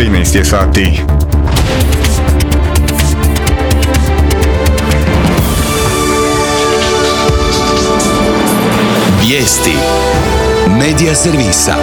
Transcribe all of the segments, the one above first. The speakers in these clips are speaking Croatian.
13 je sati. Vijesti Medija servisa.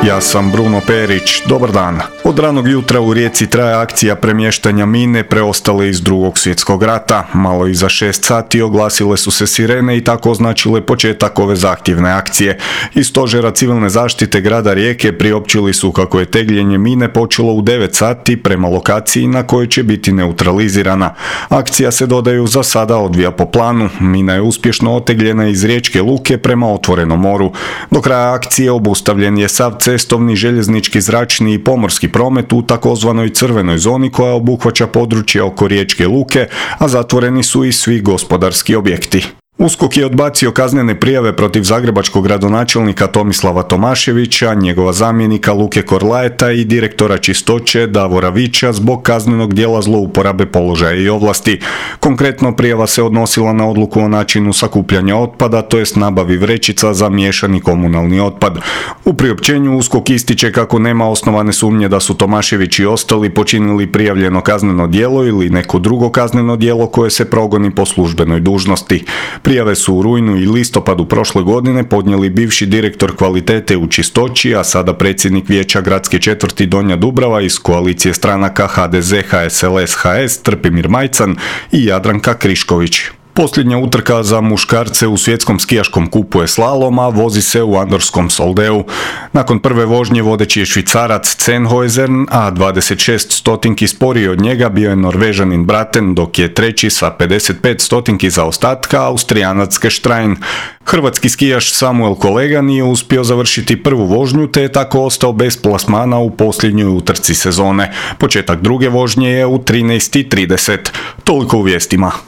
Ja sam Bruno Perić, dobar dan. Od ranog jutra u Rijeci traje akcija premještanja mine preostale iz Drugog svjetskog rata. Malo iza 6 sati oglasile su se sirene i tako označile početak ove zahtjevne akcije. Iz stožera civilne zaštite grada Rijeke priopćili su kako je tegljenje mine počelo u 9 sati prema lokaciji na kojoj će biti neutralizirana. Akcija se, dodaju, za sada odvija po planu. Mina je uspješno otegljena iz Riječke luke prema otvorenom moru. Do kraja akcije obustavljen je sav cestovni, željeznički, zračni i pomorski promet u takozvanoj crvenoj zoni koja obuhvaća područje oko Riječke luke, a zatvoreni su i svi gospodarski objekti. USKOK je odbacio kaznene prijave protiv zagrebačkog gradonačelnika Tomislava Tomaševića, njegova zamjenika Luke Korlaeta i direktora čistoće Davora Vića zbog kaznenog djela zlouporabe položaja i ovlasti. Konkretno, prijava se odnosila na odluku o načinu sakupljanja otpada, to jest nabavi vrećica za miješani komunalni otpad. U priopćenju USKOK ističe kako nema osnovane sumnje da su Tomašević i ostali počinili prijavljeno kazneno djelo ili neko drugo kazneno djelo koje se progoni po službenoj dužnosti. Prijave su u rujnu i listopadu prošle godine podnijeli bivši direktor kvalitete u čistoći, a sada predsjednik vijeća gradske četvrti Donja Dubrava iz koalicije stranaka HDZ, HSLS, HS, Trpimir Majcan i Jadranka Krišković. Posljednja utrka za muškarce u svjetskom skijaškom kupu je slalom, a vozi se u Andorskom Soldeu. Nakon prve vožnje vodeći je Švicarac Sennhäuser, a 26 stotinki sporiji od njega bio je Norvežanin Braten, dok je treći sa 55 stotinki zaostatka Austrijanac Gestrein. Hrvatski skijaš Samuel Kolega nije uspio završiti prvu vožnju, te je tako ostao bez plasmana u posljednjoj utrci sezone. Početak druge vožnje je u 13:30. Toliko u vijestima.